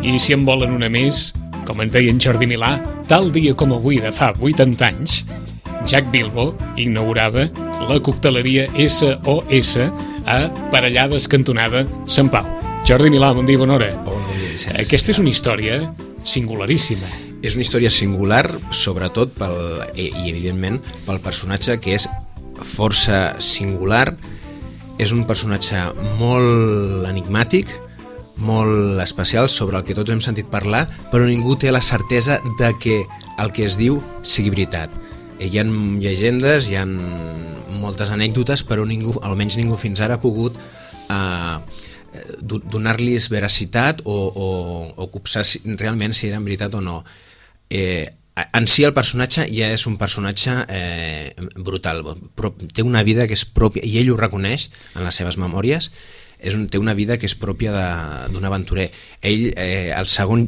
I si en volen una més, com ens deia en Jordi Milà, tal dia com avui de fa 80 anys, Jack Bilbo inaugurava la cocteleria SOS a Parellades cantonada Sant Pau. Jordi Milà, bon dia, bona hora. Bon dia, Vicenç. Aquesta és una història singularíssima. És una història singular, sobretot i evidentment pel personatge, que és força singular. És un personatge molt enigmàtic, molt especial, sobre el que tots hem sentit parlar, però ningú té la certesa de que el que es diu sigui veritat. Hi ha llegendes, hi ha moltes anècdotes, però ningú, almenys ningú fins ara ha pogut donar-los veracitat o copsar realment si eren veritat o no. En si el personatge ja és un personatge brutal, però té una vida que és pròpia, i ell ho reconeix en les seves memòries. Té una vida que és pròpia d'un aventurer. Ell, el segon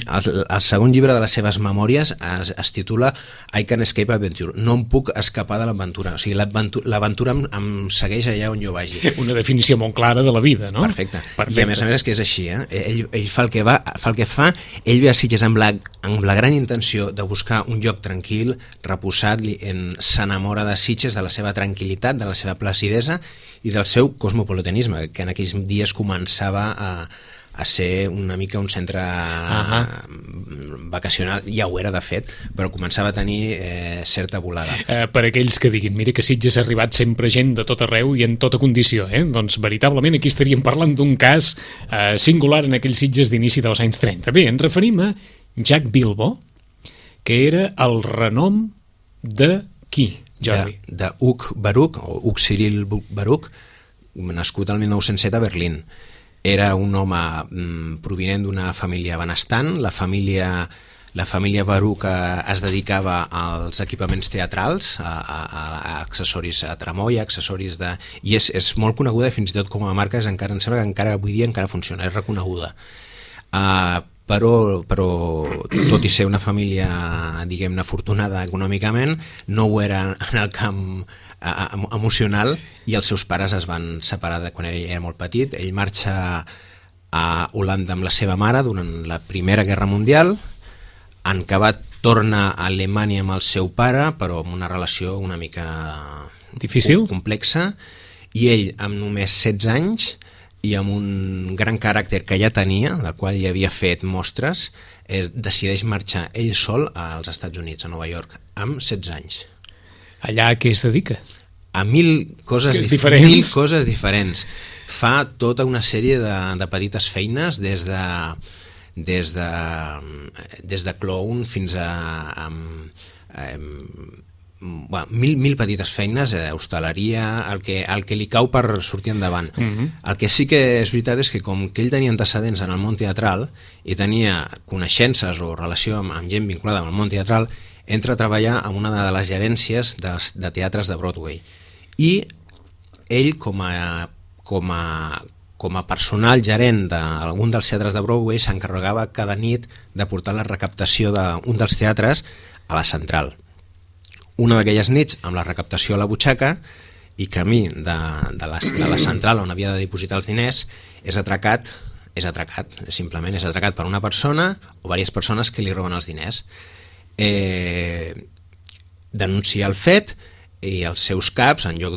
llibre de les seves memòries es titula I Can't Escape Adventure. No em puc escapar de l'aventura. O sigui, l'aventura em segueix allà on jo vagi. Una definició molt clara de la vida, no? Perfecte. I a més és que és així. Ell fa el que fa. Ell ve a Sitges amb la gran intenció de buscar un lloc tranquil, reposat, s'enamora de Sitges, de la seva tranquil·litat, de la seva placidesa i del seu cosmopolitanisme, que en aquells dies començava a ser una mica un centre vacacional. Ja ho era, de fet, però començava a tenir certa volada. Per aquells que diguin, mira que Sitges ha arribat sempre gent de tot arreu i en tota condició, doncs veritablement aquí estaríem parlant d'un cas singular en aquells Sitges d'inici dels anys 30. Bé, ens referim a Jack Bilbo, que era el renom de qui, Jordi? De Hug Baruch, o Hug Cyril Baruch, nascut al 1907 a Berlín. Era un home provinent d'una família benestant. La família Baruch es dedicava als equipaments teatrals, a accessoris a tramoia, accessoris de... I és molt coneguda, fins i tot com a marca, em sembla que encara avui dia encara funciona, és reconeguda. Però tot i ser una família, diguem-ne, afortunada econòmicament, no ho era en el camp emocional, i els seus pares es van separar quan ell era molt petit. Ell marxa a Holanda amb la seva mare durant la Primera Guerra Mundial. En acabat torna a Alemanya amb el seu pare, però amb una relació una mica difícil, complexa, i ell amb només 16 anys i amb un gran caràcter que ja tenia, del qual ja havia fet mostres, decideix marxar ell sol als Estats Units, a Nova York, amb 16 anys. Allà a què es dedica? A mil coses diferents. Fa tota una sèrie de petites feines, des de clown fins a mil petites feines, hostaleria, el que li cau per sortir endavant. El que sí que és veritat és que, com que ell tenia antecedents en el món teatral i tenia coneixences o relació amb gent vinculada amb el món teatral, entra a treballar en una de les gerències de teatres de Broadway. I ell, com a personal gerent d'algun dels teatres de Broadway, s'encarregava cada nit de portar la recaptació d'un dels teatres a la central. Una d'aquelles nits, amb la recaptació a la butxaca i camí de la central on havia de dipositar els diners, és atracat, simplement és atracat per una persona o diverses persones que li roben els diners. Denuncia el fet, i els seus caps, en lloc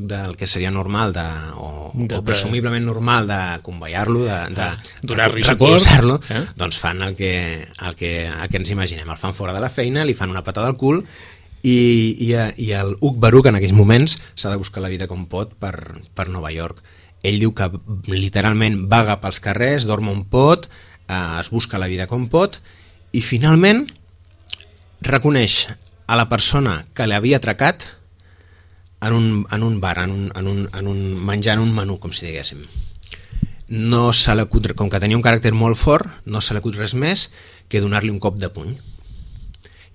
del que seria normal o presumiblement normal de convoiar-lo, de recolzar-lo, doncs fan el que ens imaginem. El fan fora de la feina, li fan una patada al cul, i el Hug Baruch en aquells moments s'ha de buscar la vida com pot per Nova York. Ell diu que literalment vaga pels carrers, dorm on pot, es busca la vida com pot, i finalment reconeix a la persona que l'havia atracat en un bar, menjant un menú, com si diguéssim. No se l'acut, com que tenia un caràcter molt fort, no se l'acut res més que donar-li un cop de puny.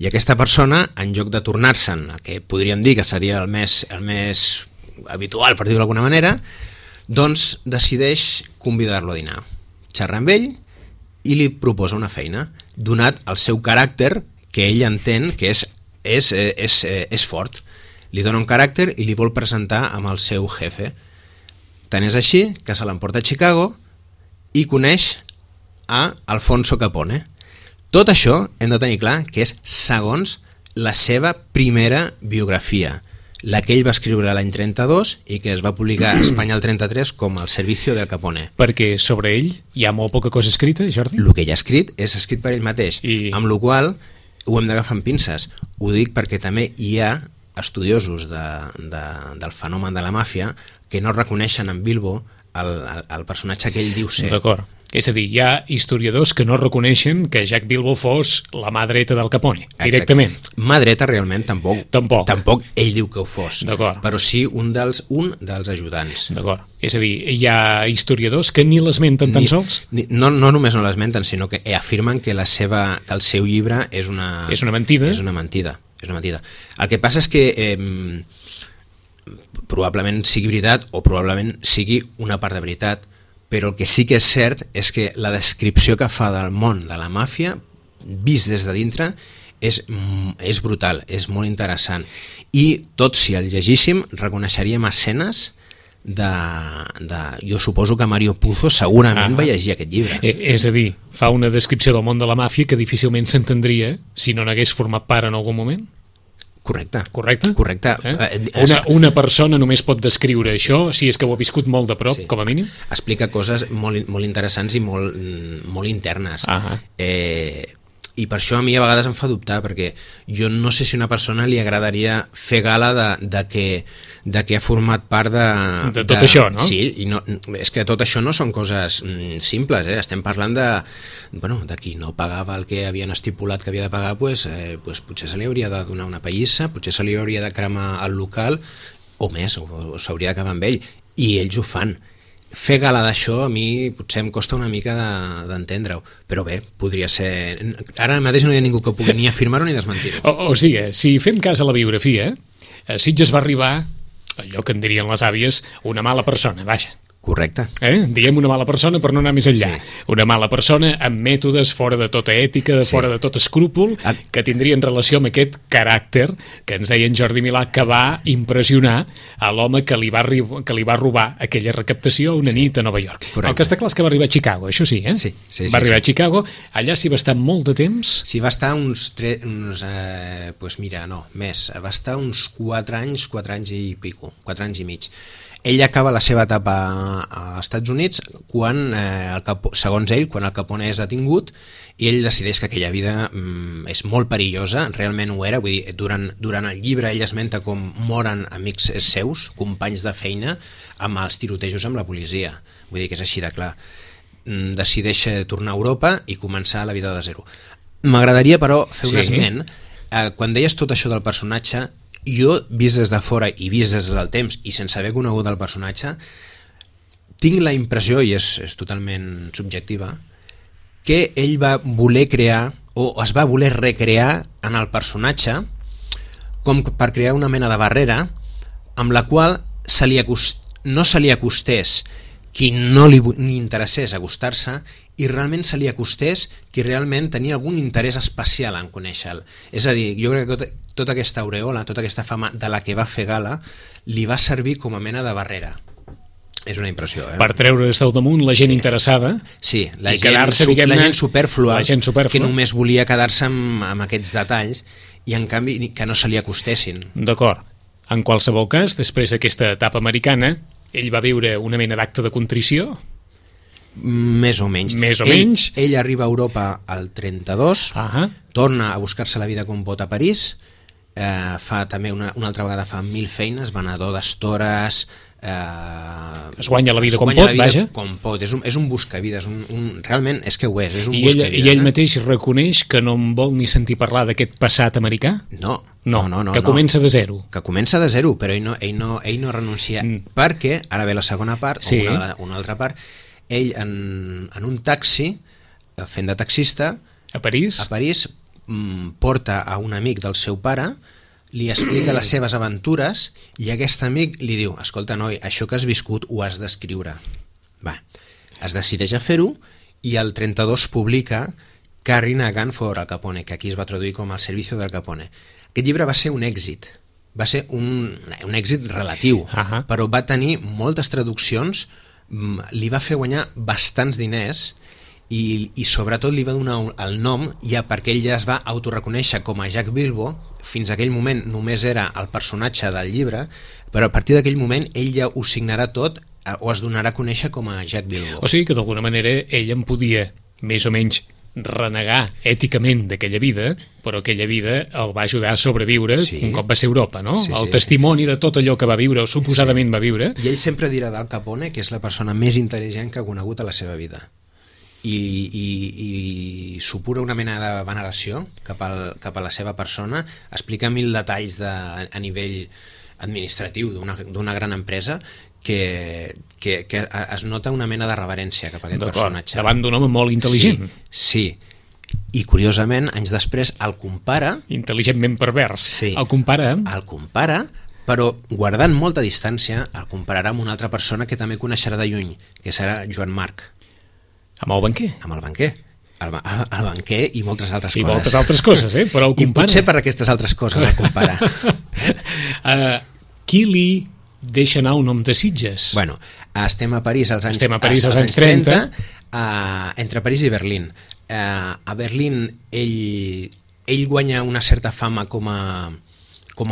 I aquesta persona, en lloc de tornar-se'n, el que podríem dir que seria el més habitual, per dir-ho d'alguna manera, doncs decideix convidar-lo a dinar. Xerra amb ell i li proposa una feina, donat el seu caràcter, que ell entén que és fort. Li dona un caràcter i li vol presentar amb el seu jefe. Tant és així que se l'emporta a Chicago i coneix a Alfonso Capone. Tot això hem de tenir clar que és segons la seva primera biografia, la que ell va escriure l'any 32 i que es va publicar a Espanya el 33 com El servicio del Capone. Perquè sobre ell hi ha molt poca cosa escrita, Jordi? El que ell ha escrit és escrit per ell mateix, amb la qual ho hem d'agafar amb pinces. Ho dic perquè també hi ha estudiosos del fenomen de la màfia que no reconeixen en Bilbo el personatge que ell diu ser. D'acord. És a dir, hi ha historiadors que no reconeixen que Jack Bilbo fos la mà dreta del Capone, directament. Mà dreta realment tampoc. Tampoc ell diu que ho fos. Però sí un dels ajudants. D'acord. És a dir, hi ha historiadors que ni l'esmenten tan sols? No només no l'esmenten, sinó que afirmen que el seu llibre és una... És una mentida? És una mentida. El que passa és que probablement sigui veritat o probablement sigui una part de veritat, però el que sí que és cert és que la descripció que fa del món de la màfia, vist des de dintre, és brutal, és molt interessant. I tot, si el llegíssim, reconeixeríem escenes jo suposo que Mario Puzo segurament va llegir aquest llibre. És a dir, fa una descripció del món de la màfia que difícilment s'entendria si no n'hagués format part en algun moment? Correcte. Una persona només pot descriure això si és que ho ha viscut molt de prop, sí. Com a mínim. Explica coses molt interessants i molt internes. I per això a mi a vegades em fa dubtar, perquè jo no sé si a una persona li agradaria fer gala de que ha format part de tot això, no? Sí, i no, és que tot això no són coses simples, estem parlant de qui no pagava el que havien estipulat que havia de pagar, potser se li hauria de donar una pallissa, potser se li hauria de cremar el local, o més, o s'hauria d'acabar amb ell, i ells ho fan. Fer gala d'això a mi potser em costa una mica d'entendre-ho, però bé, podria ser... Ara mateix no hi ha ningú que pugui ni afirmar-ho ni desmentir-ho. O sigui, si fem cas a la biografia, Sitges va arribar, allò que en dirien les àvies, una mala persona, vaja. Correcte. Diguem una mala persona per no anar més enllà. Sí. Una mala persona amb mètodes fora de tota ètica, fora de tot escrúpol, que tindrien relació amb aquest caràcter que ens deia en Jordi Milà, que va impressionar a l'home que li va robar aquella recaptació una nit a Nova York. Correcte. El que està clar és que va arribar a Chicago, això sí, Sí. Va arribar a Chicago, allà s'hi va estar molt de temps? S'hi va estar més. Va estar uns 4 anys i pico, 4 anys i mig. Ell acaba la seva etapa als Estats Units quan, segons ell, quan el Capone és detingut i ell decideix que aquella vida és molt perillosa, realment ho era, vull dir, durant el llibre ell esmenta com moren amics seus, companys de feina, amb els tirotejos amb la policia, vull dir que és així de clar. Decideix tornar a Europa i començar la vida de zero. M'agradaria, però, fer un esment. Quan deies tot això del personatge, jo, vist des de fora i vist des del temps i sense haver conegut el personatge, tinc la impressió, i és totalment subjectiva, que ell va voler crear o es va voler recrear en el personatge com per crear una mena de barrera amb la qual no se li acostés qui no li interessés acostar-se i realment se li acostés qui realment tenia algun interès especial en conèixer-lo. És a dir, jo crec que tota aquesta aureola, tota aquesta fama de la que va fer gala, li va servir com a mena de barrera. És una impressió, Per treure's del damunt la gent interessada. Sí, la gent supèrflua, que només volia quedar-se amb aquests detalls i en canvi que no se li acostessin. D'acord. En qualsevol cas, després d'aquesta etapa americana, ell va viure una mena d'acte de contrició? Més o menys. Ell arriba a Europa al 32, torna a buscar-se la vida com pot a París, fa també una altra vegada fa 1000 feines, venedor d'estores, es guanya la vida com pot, vaja. Com pot, és un buscavides, realment és que ho és un buscavides. I ell mateix reconeix que no en vol ni sentir parlar d'aquest passat americà? No, que comença de zero. Que comença de zero, però ell no renuncia, perquè, ara ve la segona part, una altra part, ell en un taxi, fent de taxista, a París, porta a un amic del seu pare, li explica les seves aventures i aquest amic li diu, escolta noi, això que has viscut ho has d'escriure. Es decideix a fer-ho i el 32 publica Carrying a Gun for Al Capone, que aquí es va traduir com El servicio del Capone. Aquest llibre va ser un èxit, va ser un èxit relatiu, però va tenir moltes traduccions, li va fer guanyar bastants diners i sobretot li va donar el nom ja perquè ell ja es va autoreconèixer com a Jack Bilbo. Fins a aquell moment només era el personatge del llibre, però a partir d'aquell moment ell ja ho signarà tot o es donarà a conèixer com a Jack Bilbo. O sigui que d'alguna manera ell en podia més o menys renegar èticament d'aquella vida, però aquella vida el va ajudar a sobreviure un cop va ser a Europa, no? El testimoni de tot allò que va viure o suposadament va viure. I ell sempre dirà d'Al Capone que és la persona més intel·ligent que ha conegut a la seva vida. I supura una mena de veneració cap a la seva persona, explica 1000 detalls a nivell administratiu d'una gran empresa que es nota una mena de reverència cap a aquest personatge. Davant d'un home molt intel·ligent. Sí. I curiosament, anys després el compara... Intel·ligentment pervers. Sí. El compara, però guardant molta distància, el compararà amb una altra persona que també coneixerà de lluny, que serà Joan Marc. Amb el banquer. Amb el banquer. El banquer i moltes altres coses. I moltes altres coses, però el compara. I potser per aquestes altres coses el compara. Qui li deixa anar un nom de Sitges? Bueno, estem a París als anys 30, entre París i Berlín. A Berlín ell guanya una certa fama com a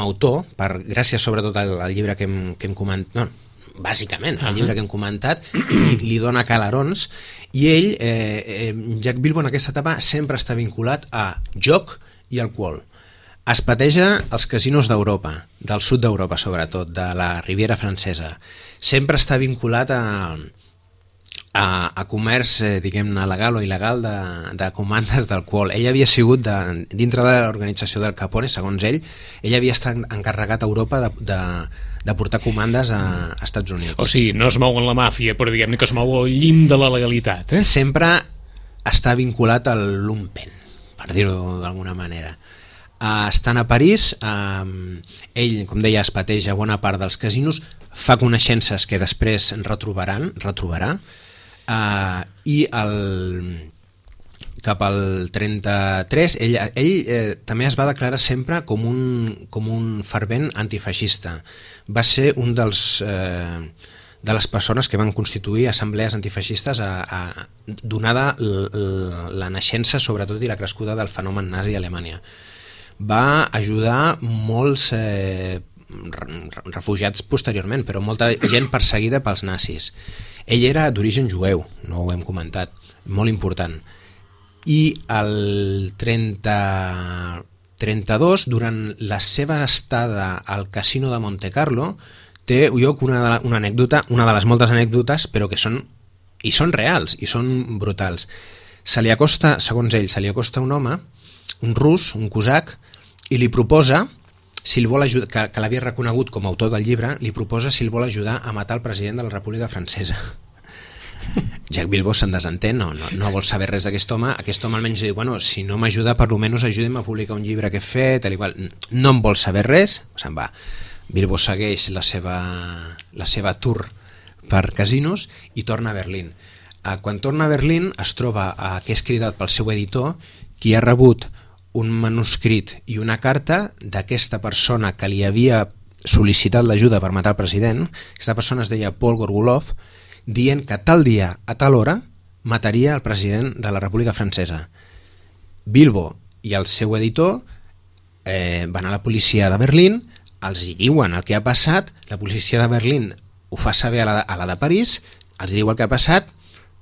autor, gràcies sobretot al llibre que hem comentat, no, bàsicament, el llibre que hem comentat, li dona calarons, i ell, Jack Bilbo, en aquesta etapa sempre està vinculat a joc i alcohol. Es pateja als casinos d'Europa, del sud d'Europa sobretot, de la Riviera Francesa. Sempre està vinculat a comerç, diguem-ne, legal o il·legal de comandes d'alcohol. Ell havia sigut, dintre de l'organització del Capone, segons ell havia estat encarregat a Europa de portar comandes a Estats Units. O sigui, no es mou en la màfia, però diguem-ne que es mou al llim de la legalitat. Sempre està vinculat al lumpen, per dir-ho d'alguna manera. Estant a París, ell, com deia, es pateja bona part dels casinos, fa coneixences que després retrobarà, i cap al 33 ell també es va declarar sempre com un fervent antifeixista. Va ser un de les persones que van constituir assemblees antifeixistes donada la naixença sobretot i la crescuda del fenomen nazi a Alemanya. Va ajudar molts refugiats posteriorment, però molta gent perseguida pels nazis. Ell era d'origen jueu, no ho hem comentat, molt important. I el 32, durant la seva estada al casino de Monte Carlo, té lloc una anècdota, una de les moltes anècdotes, però que són reals i són brutals. Segons ell, se li acosta un home, un rus, un cosac, i li proposa, si el vol ajudar, que l'havia reconegut com a autor del llibre, li proposa si el vol ajudar a matar el president de la República Francesa. Jack Bilbo se'n desentén, no vol saber res d'aquest home. Aquest home almenys diu, bueno, si no m'ajuda, per almenys ajudi'm a publicar un llibre que he fet, tal i qual. No en vol saber res, se'n va. Bilbo segueix la seva tour per casinos i torna a Berlín. Quan torna a Berlín es troba que és cridat pel seu editor, qui ha rebut un manuscrit i una carta d'aquesta persona que li havia sol·licitat l'ajuda per matar el president. Aquesta persona es deia Paul Gorgulov, dient que tal dia, a tal hora, mataria el president de la República Francesa. Bilbo i el seu editor van a la policia de Berlín, els hi diuen el que ha passat, la policia de Berlín ho fa saber a la de París, els diu el que ha passat,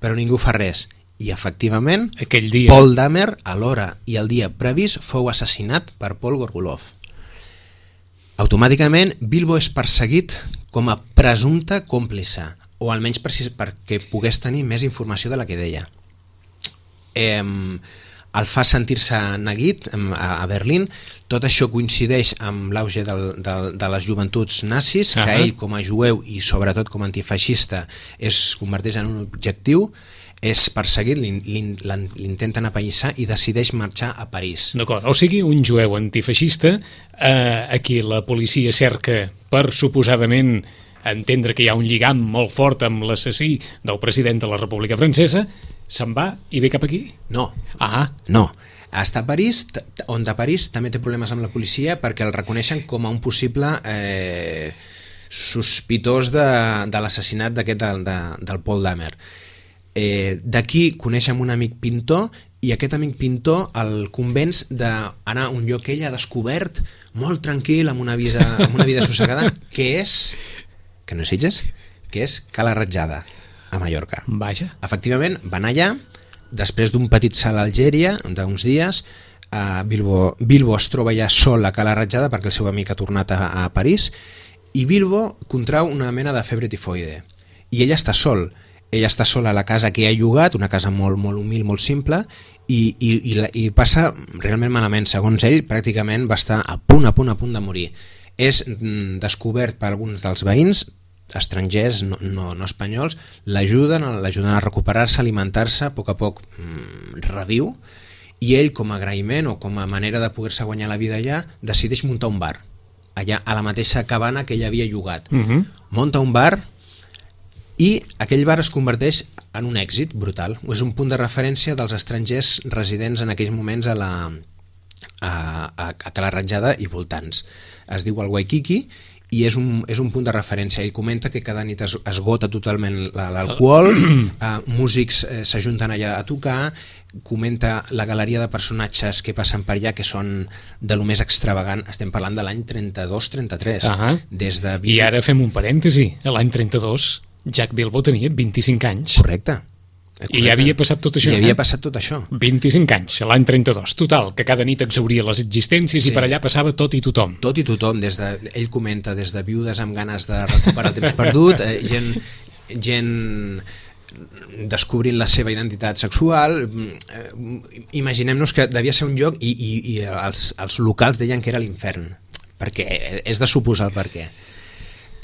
però ningú fa res. I efectivament, aquell dia, Paul Dahmer, a l'hora i el dia previst, fou assassinat per Paul Gorgulov. Automàticament, Bilbo és perseguit com a presumpte còmplice, o almenys perquè pogués tenir més informació de la que deia. El fa sentir-se neguit a Berlín. Tot això coincideix amb l'auge de les joventuts nazis, que ell, com a jueu i sobretot com a antifeixista, es converteix en un objectiu, és perseguit, l'intenten apallissar i decideix marxar a París. D'acord, o sigui, un jueu antifeixista a qui la policia cerca per suposadament entendre que hi ha un lligam molt fort amb l'assassí del president de la República Francesa, se'n va i ve cap aquí? No. No. Està a París, on de París també té problemes amb la policia perquè el reconeixen com a un possible sospitós de l'assassinat d'aquest del Paul Dahmer. D'aquí coneixem un amic pintor i aquest amic pintor el convenç d'anar a un lloc que ell ha descobert molt tranquil, amb una vida sossegada, que no és Sitges, que és Cala Ratjada, a Mallorca. Vaja. Efectivament, van allà, després d'un petit salt a Algèria, d'uns dies, Bilbo es troba ja sol a Cala Ratjada perquè el seu amic ha tornat a París, i Bilbo contrau una mena de febre tifoide. I ell està sol a la casa que ha llogat, una casa molt, molt humil, molt simple, i passa realment malament. Segons ell, pràcticament va estar a punt de morir. És descobert per alguns dels veïns, estrangers, no espanyols, l'ajuden a recuperar-se, a alimentar-se, a poc reviu, i ell, com a agraïment o com a manera de poder-se guanyar la vida allà, decideix muntar un bar, allà a la mateixa cabana que ell havia llogat. Munta un bar i aquell bar es converteix en un èxit brutal. És un punt de referència dels estrangers residents en aquells moments a Cala Ratjada i voltants. Es diu el Waikiki i és un punt de referència. Ell comenta que cada nit esgota totalment l'alcohol, músics s'ajunten allà a tocar, comenta la galeria de personatges que passen per allà, que són de lo més extravagant. Estem parlant de l'any 32-33. I ara fem un parèntesi. L'any 32 Jack Bilbo tenia 25 anys. Correcte. I ja havia passat tot això. 25 anys, l'any 32. Total, que cada nit exhauria les existències i per allà passava tot i tothom. Tot i tothom. Ell comenta des de viudes amb ganes de recuperar el temps perdut, gent descobrint la seva identitat sexual. Imaginem-nos que devia ser un lloc i els locals deien que era l'infern, perquè és de suposar el per què.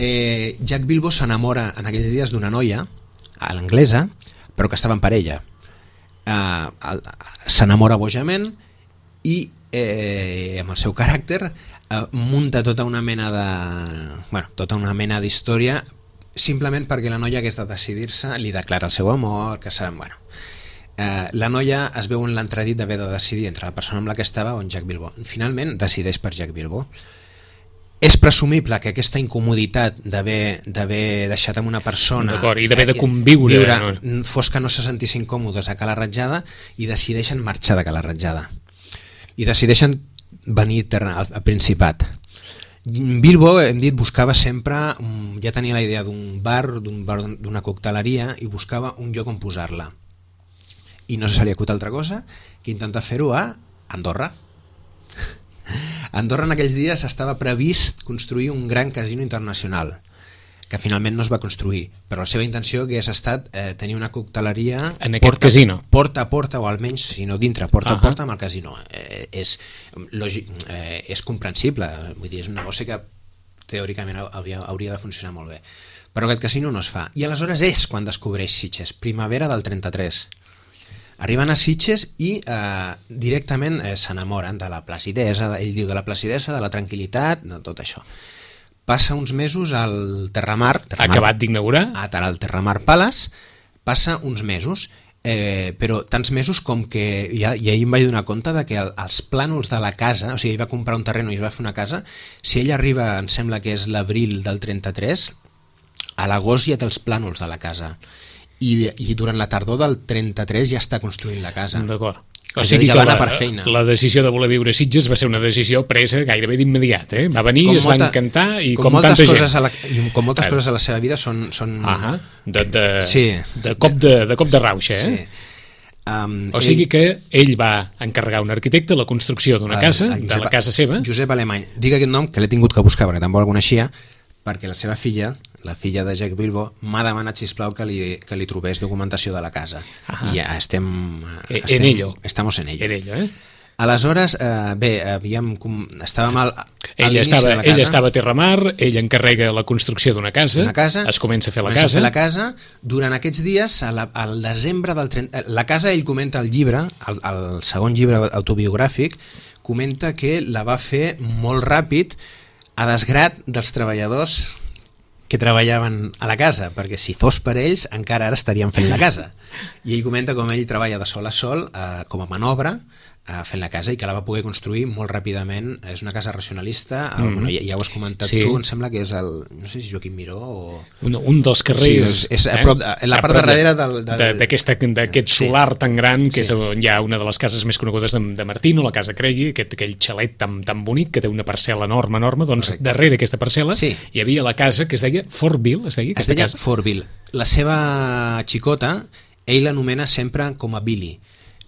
Jack Bilbo s'enamora en aquells dies d'una noia, a l'anglesa, però que estava en parella. S'enamora bojament i amb el seu caràcter munta tota una mena d'història simplement perquè la noia hagués de decidir-se, li declara el seu amor, que serà... La noia es veu en l'entredit d'haver de decidir entre la persona amb la que estava o en Jack Bilbo. Finalment decideix per Jack Bilbo. És presumible que aquesta incomoditat d'haver deixat amb una persona i d'haver de conviure fos que no se sentissin còmodes a Cala Ratjada i decideixen marxar de Cala Ratjada i decideixen venir al Principat. Bilbo, hem dit, buscava sempre, ja tenia la idea d'un bar, d'una cocteleria, i buscava un lloc on posar-la, i no se li acut altra cosa que intentar fer-ho a Andorra. Andorra en aquells dies estava previst construir un gran casino internacional, que finalment no es va construir, però la seva intenció hagués estat tenir una cocteleria en aquest casino, porta a porta, o almenys, si no dintre, porta a porta amb el casino. És comprensible, vull dir, és un negoci que teòricament hauria de funcionar molt bé, però aquest casino no es fa, i aleshores és quan descobreix Sitges, primavera del 33. Arriben a Sitges i directament s'enamoren de la placidesa, ell diu de la placidesa, de la tranquil·litat, de tot això. Passa uns mesos al Terramar, acabat d'inaugurar, D'acord. O sigui que la decisió de voler viure a Sitges va ser una decisió presa gairebé d'immediat. Va venir, es va encantar, i com tanta gent. Com moltes coses a la seva vida són... De cop de rauxa. O sigui que ell va encarregar a un arquitecte la construcció d'una casa, de la casa seva. Josep Alemany. Dic aquest nom, que l'he tingut que buscar perquè tampoc el coneixia, perquè la seva filla, la filla de Jack Bilbo, m'ha demanat, sisplau, que li trobés documentació de la casa. I ja en ello. Estamos en ello. En ello, Aleshores, estàvem a l'inici de la casa. Ell estava a Terramar, ell encarrega la construcció d'una casa, es comença a fer la casa. Durant aquests dies, al desembre del 30... La casa, ell comenta al llibre, el segon llibre autobiogràfic, comenta que la va fer molt ràpid, a desgrat dels treballadors que treballaven a la casa, perquè si fos per ells encara ara estarien fent la casa. I ell comenta com ell treballa de sol a sol, com a manobra, fent la casa i que la va poder construir molt ràpidament. És una casa racionalista, bueno, ja ho has comentat tu, em sembla que és no sé si Joaquim Miró o... Un dels carrers... Sí, és a prop, la part de darrere d'aquest solar tan gran, que és on hi ha una de les cases més conegudes de Martino, la Casa Cregui, aquell xalet tan bonic, que té una parcel·la enorme, doncs darrere aquesta parcel·la hi havia la casa que es deia Fortville, es deia Fortville. La seva xicota, ell l'anomena sempre com a Billy.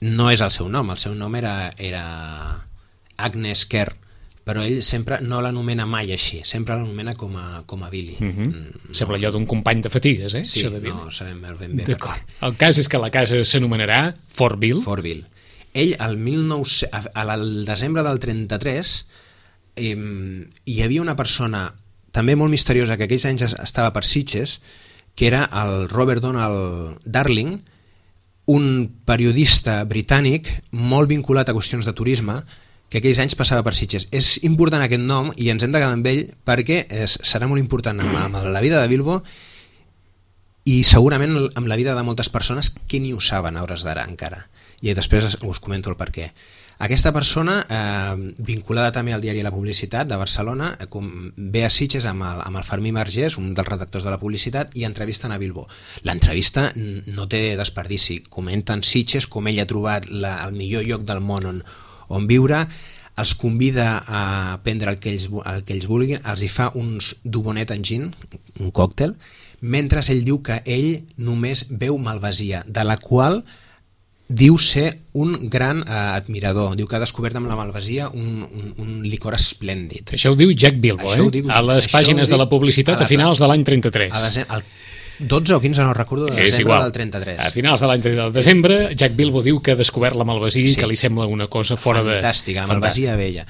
No és el seu nom era Agnes Kerr, però ell sempre no l'anomena mai així, sempre l'anomena com a Billy. Sembla allò d'un company de fatigues, Sí, no sabem ben bé. D'acord. El cas és que la casa s'anomenarà Fortville. Ell, al desembre del 33, hi havia una persona també molt misteriosa que aquells anys estava per Sitges, que era el Robert Donald Darling, un periodista britànic molt vinculat a qüestions de turisme, que aquells anys passava per Sitges. És important aquest nom i ens hem de quedar amb ell perquè serà molt important amb la vida de Bilbo i segurament amb la vida de moltes persones que ni ho saben a hores d'ara encara. I després us comento el perquè. Aquesta persona, vinculada també al diari La Publicitat de Barcelona, ve a Sitges amb el Fermí Margés, un dels redactors de La Publicitat, i entrevisten a Bilbo. L'entrevista no té desperdici. Comenten Sitges, com ell ha trobat el millor lloc del món on viure, els convida a prendre el que ells vulguin, els hi fa uns dubonet en gin, un còctel, mentre ell diu que ell només beu malvasia, de la qual diu ser un gran admirador. Diu que ha descobert amb la malvasia un licor esplèndid. Això ho diu Jack Bilbo, a les pàgines de La Publicitat a finals de l'any 33. El 12 o 15, no recordo, de desembre del 33. A finals de l'any 33 de desembre, Jack Bilbo diu que ha descobert la malvasia i que li sembla una cosa fora de... Fantàstica, la malvasia vella.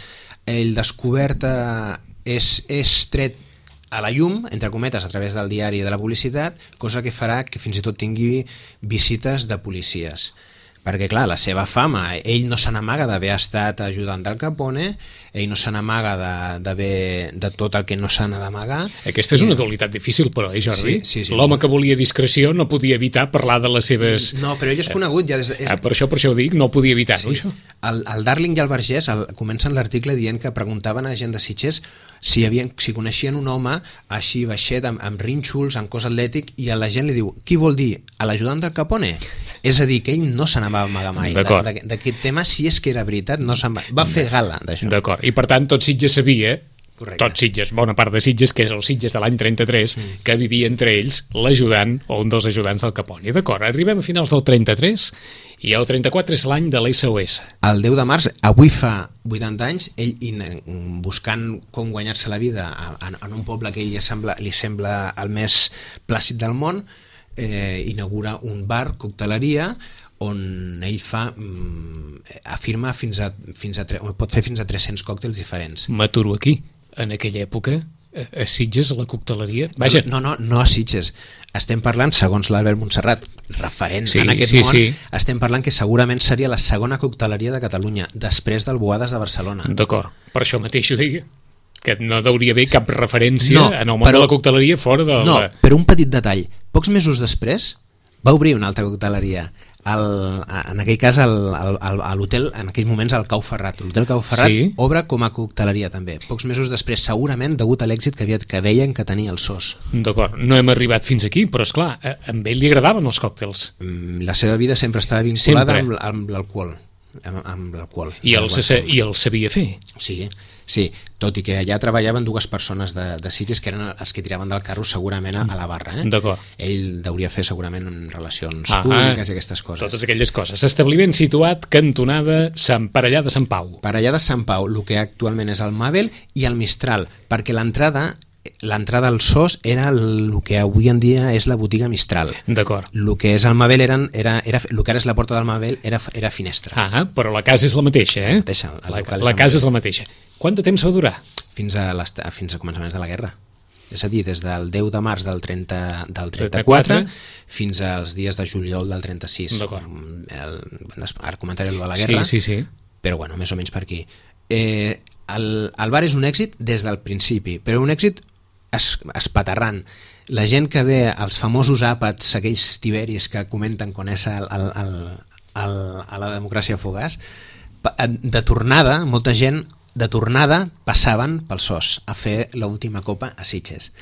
El descobert és tret a la llum, entre cometes, a través del diari de La Publicitat, cosa que farà que fins i tot tingui visites de policies. Perquè, clar, la seva fama, ell no se n'amaga d'haver estat ajudant d'Al Capone, ell no se n'amaga de tot el que no s'ha d'amagar. Aquesta és una dualitat difícil, però, Jordi? Sí. L'home que volia discreció no podia evitar parlar de les seves... No, però ell és conegut. Ja per això ho dic, no podia evitar-ho, això. El Darling i el Vergés comencen l'article dient que preguntaven a gent de Sitges si coneixien un home així baixet, amb rínxols, amb cos atlètic, i a la gent li diu, qui vol dir? A l'ajudant d'Al Capone? És a dir, que ell no se n'ha amagar mai. D'aquest tema, si és que era veritat, no se'n va fer gala d'això. D'acord, i per tant tot Sitges sabia, tot Sitges, bona part de Sitges, que és el Sitges de l'any 33, que vivia entre ells l'ajudant o un dels ajudants del Capone. D'acord, arribem a finals del 33 i el 34 és l'any de l'SOS. El 10 de març, avui fa 80 anys, ell buscant com guanyar-se la vida en un poble que ell li sembla el més plàcid del món, inaugura un bar, cocteleria, on ell afirma pot fer fins a 300 còctels diferents. M'aturo aquí. En aquella època, a Sitges, a la cocteleria... Vaja. No a Sitges. Estem parlant, segons l'Albert Montserrat, referent en aquest món, estem parlant que segurament seria la segona cocteleria de Catalunya, després del Boades de Barcelona. D'acord, per això mateix ho digui, que no hauria haver cap referència en el món de la cocteleria fora de... No, però un petit detall. Pocs mesos després va obrir una altra cocteleria, en aquell cas a l'hotel, en aquells moments al Cau Ferrat. L'hotel Cau Ferrat obre com a cocteleria també, pocs mesos després, segurament degut a l'èxit que veien que tenia el SOS. D'acord, no hem arribat fins aquí, però esclar, a ell li agradaven els còctels. La seva vida sempre estava vinculada amb l'alcohol. I el sabia fer. Sí, tot i que allà treballaven dues persones de Sitges que eren els que tiraven del carro segurament a la barra. D'acord. Ell hauria fer segurament relacions públiques i aquestes coses. Totes aquelles coses. Establiment situat cantonada Parellà de Sant Pau. Parellà de Sant Pau, el que actualment és el Mabel i el Mistral, perquè l'entrada al SOS era el que avui en dia és la botiga Mistral. D'acord. El que és el Mabel el que ara és la porta del Mabel era finestra. Però la casa és la mateixa, La casa és la mateixa. Quant de temps va durar? Fins a començaments de la guerra. És a dir, des del 10 de març del 34 fins als dies de juliol del 36. D'acord. Ara comentaré el de la guerra, sí. Però bueno, més o menys per aquí. El bar és un èxit des del principi, però un èxit espaterrant. La gent que ve als famosos àpats, aquells tiberis que comenten quan és a la democràcia fugaç, de tornada, molta gent de tornada passaven pel SOS a fer l'última copa a Sitges.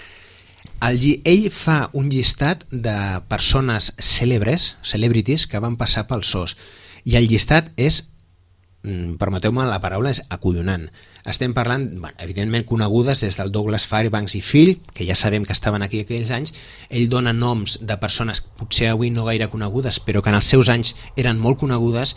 Ell fa un llistat de persones celebrities que van passar pel SOS, i el llistat és, permeteu-me la paraula, és acollonant. Estem parlant, evidentment, conegudes des del Douglas Fairbanks i fill, que ja sabem que estaven aquí aquells anys. Ell dona noms de persones potser avui no gaire conegudes, però que en els seus anys eren molt conegudes,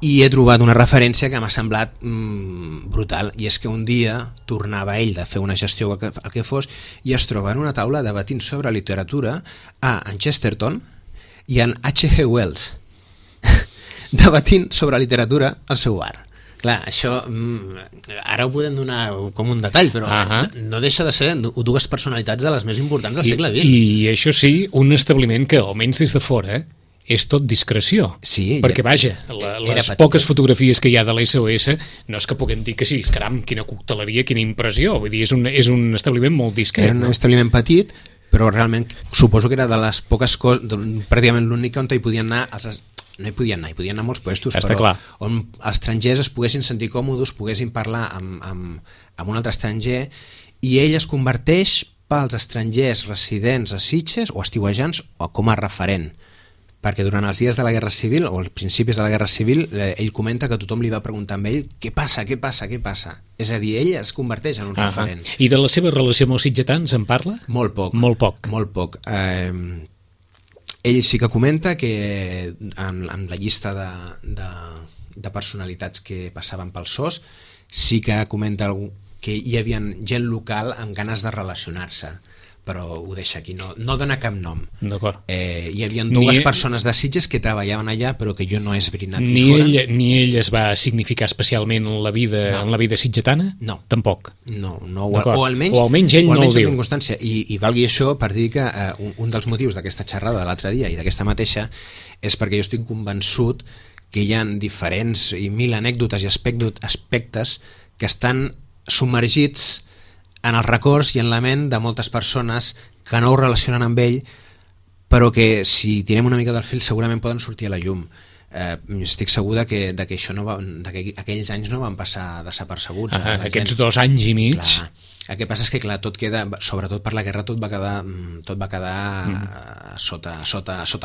i he trobat una referència que m'ha semblat brutal, i és que un dia tornava ell de fer una gestió o el que fos, i es troba en una taula debatint sobre literatura en Chesterton i en H.G. Wells, debatint sobre literatura al seu bar. Clar, això ara ho podem donar com un detall, però no deixa de ser dues personalitats de les més importants del segle XX. I això sí, un establiment que, almenys des de fora, és tot discreció. Sí, perquè, vaja, les poques fotografies que hi ha de l'SOS no és que puguem dir que sí, caram, quina cocteleria, quina impressió. Vull dir, és un establiment molt discret. Era un establiment petit, però realment suposo que era de les poques coses, pràcticament l'única on hi podien anar no hi podien anar molts puestos, però clar, on els estrangers es poguessin sentir còmodes, poguessin parlar amb un altre estranger, i ell es converteix pels estrangers residents a Sitges o estiuejants com a referent, perquè durant els dies de la Guerra Civil o els principis de la Guerra Civil ell comenta que tothom li va preguntar amb ell què passa? És a dir, ell es converteix en un referent. I de la seva relació amb els sitgetans en parla? Molt poc. Ell sí que comenta que en la llista de personalitats que passaven pel SOS sí que comenta que hi havia gent local amb ganes de relacionar-se, però ho deixa aquí, no dona cap nom. D'acord. Hi havia dues persones de Sitges que treballaven allà, però que jo no he esbrinat ni fora. Ni ell es va significar especialment en la vida sitgetana? No. Tampoc? No, o almenys ell no ho diu. I valgui això per dir que un dels motius d'aquesta xerrada de l'altre dia i d'aquesta mateixa és perquè jo estic convençut que hi ha diferents i mil anècdotes i aspectes que estan submergits en els records i en la ment de moltes persones que no ho relacionen amb ell, però que si tirem una mica del fil segurament poden sortir a la llum. Estic segur que això que aquells anys no van passar desapercebuts. Aquests 2 anys i mig. Clar. El que passa és que tot queda, sobretot per la guerra, tot va quedar sota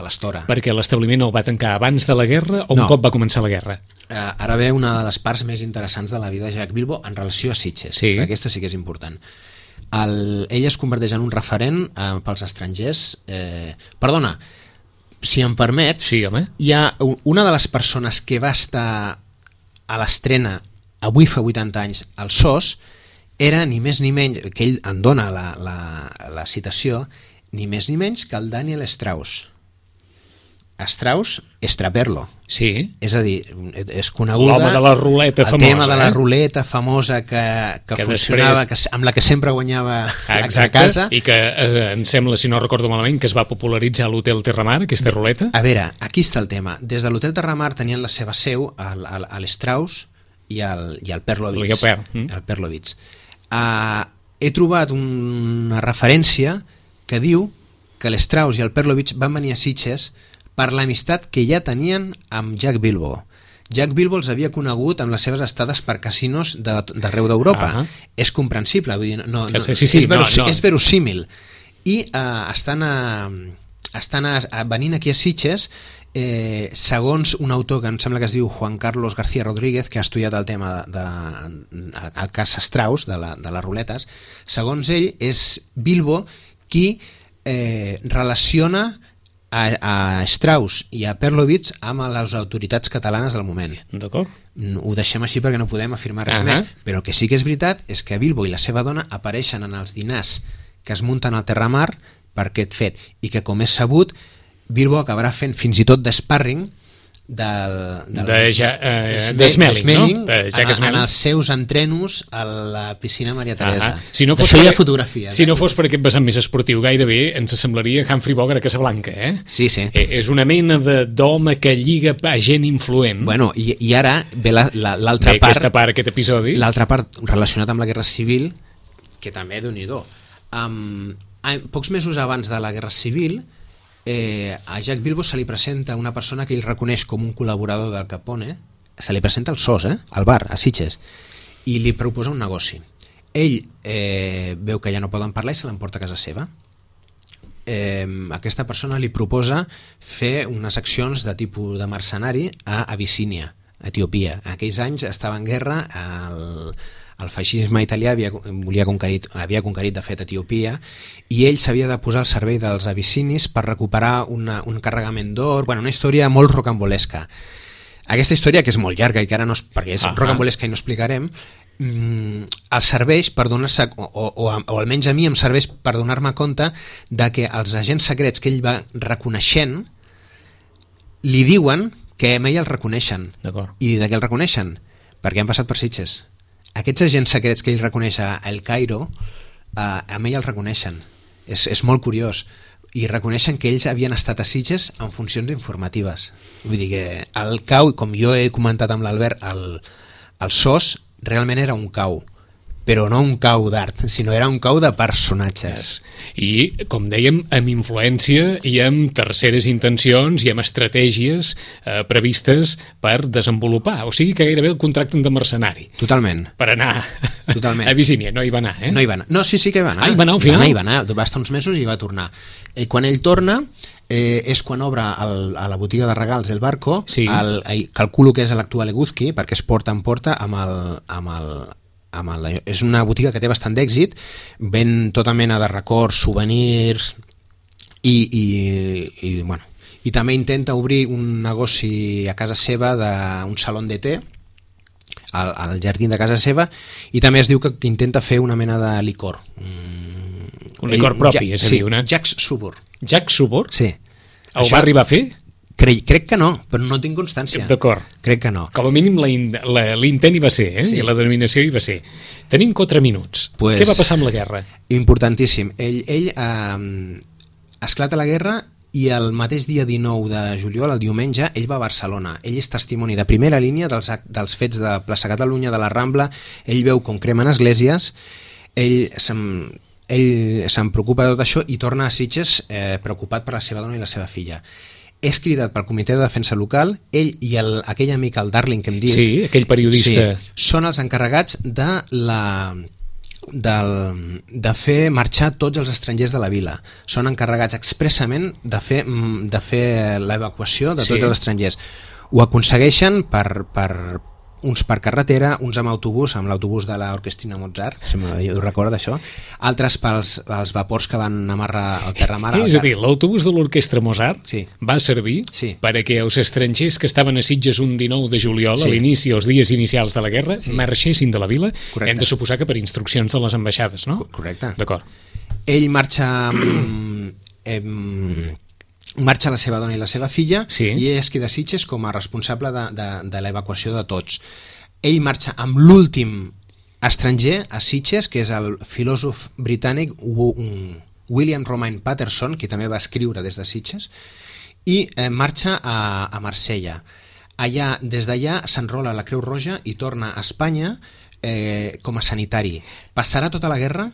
l'estora. Perquè l'establiment el va tancar abans de la guerra o un cop va començar la guerra? Ara ve una de les parts més interessants de la vida de Jacques Bilbo en relació a Sitges. Sí. Aquesta sí que és important. Ell es converteix en un referent pels estrangers. Perdona, si em permet, sí, home. Hi ha una de les persones que va estar a l'estrena avui fa 80 anys al SOS, era ni més ni menys, que ell en dona la citació, ni més ni menys que el Daniel Strauss. Strauss Estraperlo. Sí. És a dir, és coneguda... L'home de la ruleta famosa. El tema de la ruleta famosa que funcionava, després... amb la que sempre guanyava a casa. I que em sembla, si no recordo malament, que es va popularitzar a l'Hotel Terramar, aquesta ruleta. A veure, aquí està el tema. Des de l'Hotel Terramar tenien la seva seu a l'Strauss i al Perlovitz. El Perlovitz. He trobat una referència que diu que l'Strauss i el Perlovitz van venir a Sitges per l'amistat que ja tenien amb Jacques Bilbo. Jacques Bilbo els havia conegut amb les seves estades per casinos d'arreu d'Europa. És comprensible, vull dir, és verosímil. I estan venint aquí a Sitges, segons un autor que em sembla que es diu Juan Carlos García Rodríguez, que ha estudiat el tema del cas Strauss, de les ruletes, segons ell és Bilbo qui relaciona a Strauss i a Perlovitz amb les autoritats catalanes del moment. D'acord. Ho deixem així perquè no podem afirmar res més, però el que sí que és veritat és que Bilbo i la seva dona apareixen en els dinars que es munten al Terramar per aquest fet, i que, com és sabut, Bilbo acabarà fent fins i tot d'sparring de Smelling, no? En els seus entrenos a la piscina Maria Teresa. D'això hi ha fotografies. Si no fos per aquest vessant més esportiu, gairebé ens semblaria Humphrey Bogart a Casablanca, eh? Sí. És una mena d'home que lliga a gent influent. Bueno, i ara ve l'altra part... Aquesta part, aquest episodi. L'altra part relacionat amb la Guerra Civil, que també, Déu-n'hi-do. Pocs mesos abans de la Guerra Civil, a Jacques Bilbo se li presenta una persona que ell reconeix com un col·laborador del Capone, se li presenta al SOS, al bar, a Sitges, i li proposa un negoci. Ell veu que ja no poden parlar i se l'emporta a casa seva. Aquesta persona li proposa fer unes accions de tipus de mercenari a Abissínia, a Etiòpia. En aquells anys estava en guerra, el feixisme italià havia conquerit de fet Etiòpia, i ell s'havia de posar al servei dels abissinis per recuperar un carregament d'or, una història molt rocambolesca. Aquesta història, que és molt llarga i que ara no, perquè és rocambolesca i no explicarem, els serveix per donar-se, o almenys a mi em serveix per donar-me compte de que els agents secrets que ell va reconeixent li diuen que a ell el reconeixen. I de què el reconeixen? Perquè han passat per Sitges. Aquests agents secrets que ell reconeix a El Cairo, a ell el reconeixen. És molt curiós. I reconeixen que ells havien estat a Sitges en funcions informatives. Vull dir que el CAU, com jo he comentat amb l'Albert, el SOS realment era un CAU, però no un CAU d'art, sinó era un CAU de personatges. I, com dèiem, amb influència i amb terceres intencions i amb estratègies previstes per desenvolupar. O sigui que gairebé el contracten de mercenari. Totalment. Per anar a Abissínia. No hi va anar, eh? No hi va anar. No, sí que hi va anar. Hi va anar al final? Hi va anar, va estar uns mesos i va tornar. Quan ell torna, és quan obre a la botiga de regals El Barco, calculo que és l'actual Eguzki, perquè es porta en porta és una botiga que té bastant d'èxit, ven tota mena de records, souvenirs i també intenta obrir un negoci a casa seva d'un saló de té al jardí de casa seva, i també es diu que intenta fer una mena de licor, un licor propi, és a dir, una... Jacques Subur. Jacques Subur? Sí. Ho va arribar a fer? Crec que no, però no tinc constància. D'acord. Crec que no. Com a mínim l'intent hi va ser, i la denominació hi va ser. Tenim 4 minuts. Què va passar amb la guerra? Importantíssim. Ell esclata la guerra i el mateix dia 19 de juliol, el diumenge, ell va a Barcelona. Ell és testimoni de primera línia dels fets de Plaça Catalunya, de la Rambla. Ell veu com cremen esglésies, ell se'n preocupa de tot això i torna a Sitges preocupat per la seva dona i la seva filla. És cridat pel Comitè de Defensa Local, ell i aquell amic, el Darling, que hem dit... Sí, aquell periodista. Sí, són els encarregats de fer marxar tots els estrangers de la vila. Són encarregats expressament de fer l'evacuació de tots els estrangers. Ho aconsegueixen uns per carretera, uns amb autobús, amb l'autobús de l'Orquestrina Mozart, ho recorda això, altres pels vapors que van amarrar al terramar. És a dir, l'autobús de l'Orquestra Mozart va servir perquè els estrangers que estaven a Sitges un 19 de juliol, a l'inici, els dies inicials de la guerra, marxessin de la vila. Correcte. Hem de suposar que per instruccions de les ambaixades, no? Correcte. D'acord. Ell marxa la seva dona i la seva filla, i ell es queda a Sitges com a responsable de l'evacuació de tots. Ell marxa amb l'últim estranger a Sitges, que és el filòsof britànic William Romaine Patterson, que també va escriure des de Sitges, i marxa a Marsella. Des d'allà s'enrola a la Creu Roja i torna a Espanya com a sanitari. Passarà tota la guerra,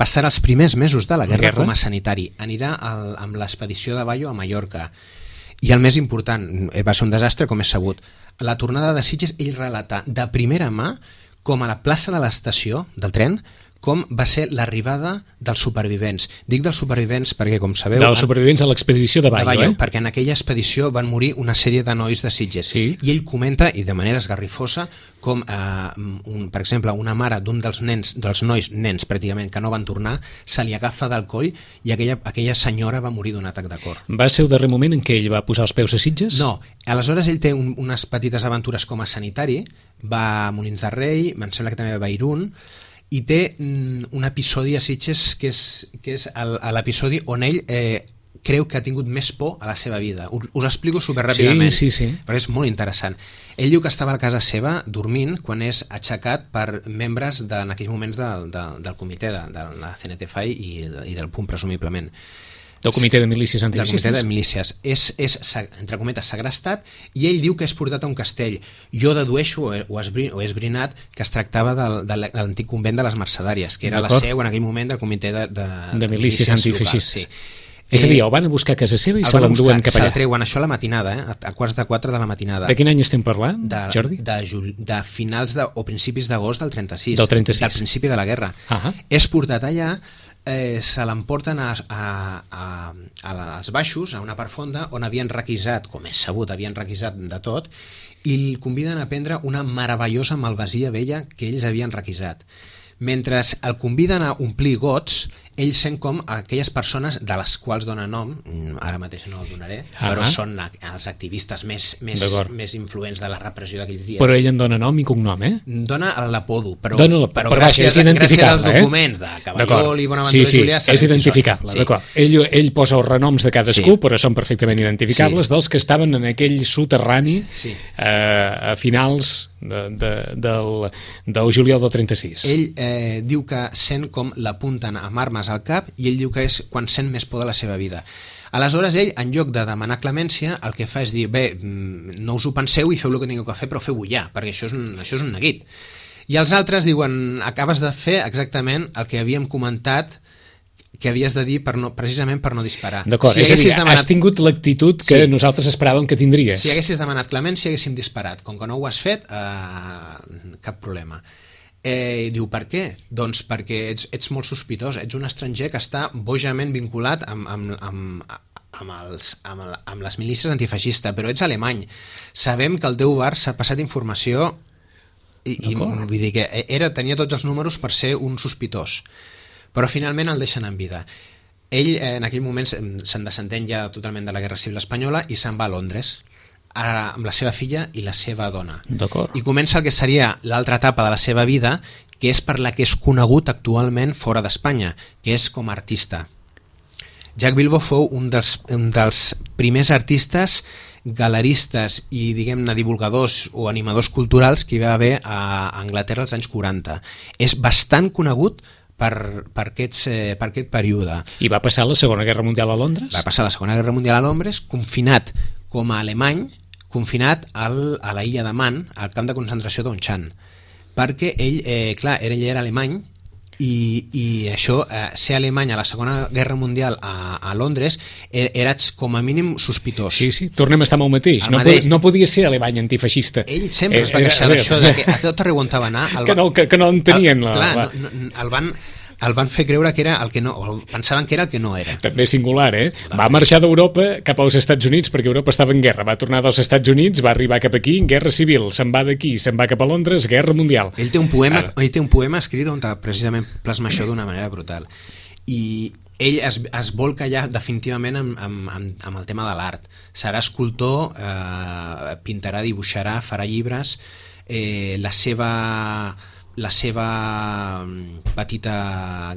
passarà els primers mesos de la guerra com a sanitari. Anirà amb l'expedició de Bayo a Mallorca. I el més important, va ser un desastre, com és sabut. La tornada de Sitges, ell relata de primera mà, com a la plaça de l'estació del tren, com va ser l'arribada dels supervivents. Dic dels supervivents perquè, com sabeu... Dels supervivents a l'expedició de Bayo, perquè en aquella expedició van morir una sèrie de nois de Sitges. I ell comenta, i de manera esgarrifosa, com, per exemple, una mare d'un dels nois pràcticament, que no van tornar, se li agafa del coll i aquella senyora va morir d'un atac de cor. Va ser el darrer moment en què ell va posar els peus a Sitges? No. Aleshores ell té unes petites aventures com a sanitari, va a Molins de Rei, em sembla que també va a Irún, i té un episodi a Sitges que és l'episodi on ell creu que ha tingut més por a la seva vida. Us explico superràpidament, però és molt interessant. Ell diu que estava a casa seva dormint quan és aixecat per membres en aquells moments del comitè de la CNTFAI i del PUM, presumiblement. Del Comitè de Milícies Antifeixistes. Del Comitè de Milícies. És, entre cometes, segrestat, i ell diu que és portat a un castell. Jo dedueixo, o he esbrinat, que es tractava de l'antic convent de les Mercedàries, que era la seu en aquell moment del Comitè de Milícies Antifeixistes. És a dir, el van a buscar a casa seva i se l'enduen cap allà. Se'l treuen, això a la matinada, a quarts de 4 de la matinada. De quin any estem parlant, Jordi? De finals o principis d'agost del 36. Del 36. Del principi de la guerra. És portat allà, se l'emporten als baixos, a una part fonda, on havien requisat, com és sabut, havien requisat de tot, i el conviden a prendre una meravellosa malvasia vella que ells havien requisat. Mentre el conviden a omplir gots, ells sent com aquelles persones de les quals dona nom, ara mateix no el donaré, però són els activistes més influents de la repressió d'aquells dies. Però ell en dona nom i cognom, Dona l'apodo, però gràcies als documents de Cavallol i Bonaventura Julià... És identificable, d'acord. Ell posa els renoms de cadascú, però són perfectament identificables, dels que estaven en aquell soterrani a finals del juliol del 36. Ell diu que sent com l'apunten amb armes al cap i ell diu que és quan sent més por de la seva vida. Aleshores ell, en lloc de demanar clemència, el que fa és dir, bé, no us ho penseu i feu el que tingueu que fer, però feu-ho ja, perquè això és un neguit. I els altres diuen, acabes de fer exactament el que havíem comentat que havies de dir precisament per no disparar. D'acord, és a dir, has tingut l'actitud que nosaltres esperàvem que tindries. Si haguessis demanat clemència, haguéssim disparat. Com que no ho has fet, cap problema. Diu, per què? Doncs perquè ets molt sospitós, ets un estranger que està bojament vinculat amb les milícies antifeixistes, però ets alemany. Sabem que el teu bar s'ha passat informació i vull dir que tenia tots els números per ser un sospitós, però finalment el deixen en vida. Ell en aquell moment se'n desentén ja totalment de la Guerra Civil Espanyola i se'n va a Londres, amb la seva filla i la seva dona. I comença el que seria l'altra etapa de la seva vida, que és per la que és conegut actualment fora d'Espanya, que és com a artista. Jacques Bilbo fou un dels primers artistes galeristes i, diguem-ne, divulgadors o animadors culturals que hi va haver a Anglaterra als anys 40. És bastant conegut per aquest període. I va passar la Segona Guerra Mundial a Londres? Va passar la Segona Guerra Mundial a Londres, confinat com a alemany, confinat a la illa de Man, al camp de concentració d'Onchan, perquè ell era alemany i això, ser alemany a la Segona Guerra Mundial a Londres, eres com a mínim sospitós. Sí, tornem a estar amb el mateix. No podia ser alemany antifeixista. Ell sempre es va queixar d'això, que a tot arreu on va anar... Que no en tenien. El van fer creure que era el que no, o pensaven que era el que no era. També singular, Va marxar d'Europa cap als Estats Units perquè Europa estava en guerra. Va tornar dels Estats Units, va arribar cap aquí, guerra civil. Se'n va d'aquí, se'n va cap a Londres, guerra mundial. Ell té un poema escrit on precisament plasma això d'una manera brutal. I ell es volca ja definitivament amb el tema de l'art. Serà escultor, pintarà, dibuixarà, farà llibres, la seva petita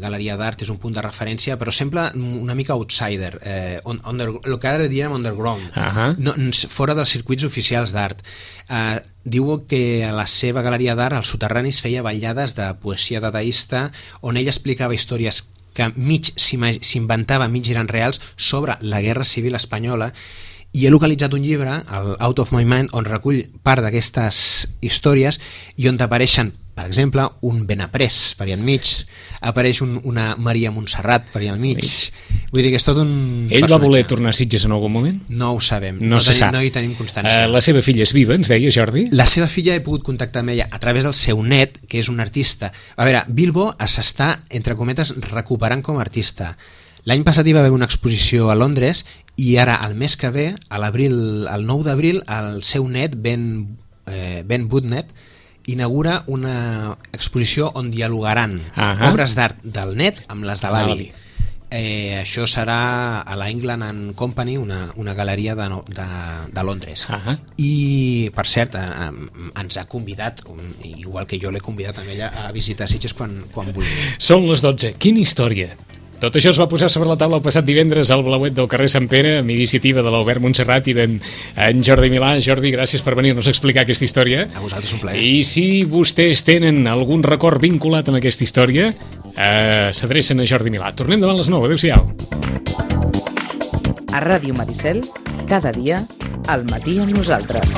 galeria d'art és un punt de referència, però sembla una mica outsider, el que ara diríem underground, fora dels circuits oficials d'art. Diu que a la seva galeria d'art, als soterranis, feia ballades de poesia dadaista, on ell explicava històries que mig s'inventava, mig eren reals, sobre la Guerra Civil Espanyola, i he localitzat un llibre, el Out of My Mind, on recull part d'aquestes històries i on apareixen, per exemple, un Benaprés per allà enmig, apareix una Maria Montserrat per allà enmig. Vull dir que és tot un personatge. Ell va voler tornar a Sitges en algun moment? No ho sabem, no hi tenim constància. La seva filla és viva, ens deia, Jordi? La seva filla he pogut contactar amb ella a través del seu net, que és un artista. A veure, Bilbo s'està, entre cometes, recuperant com a artista. L'any passat hi va haver una exposició a Londres i ara, el mes que ve, el 9 d'abril, el seu net, Ben Woodnet, inaugura una exposició on dialogaran obres d'art del net amb les de l'avi. Això serà a la England and Company, una galeria de Londres. I, per cert, ens ha convidat, igual que jo l'he convidat a ella, a visitar Sitges quan vulgui. Són les 12. Quina història! Tot això es va posar sobre la taula el passat divendres al Blauet del carrer Sant Pere, amb iniciativa de l'Albert Montserrat i d'en Jordi Milà. Jordi, gràcies per venir-nos a explicar aquesta història. A vosaltres un plaer. I si vostès tenen algun record vinculat amb aquesta història, s'adrecen a Jordi Milà. Tornem davant les 9. Adéu-siau. A Ràdio Maricel, cada dia, al matí amb nosaltres.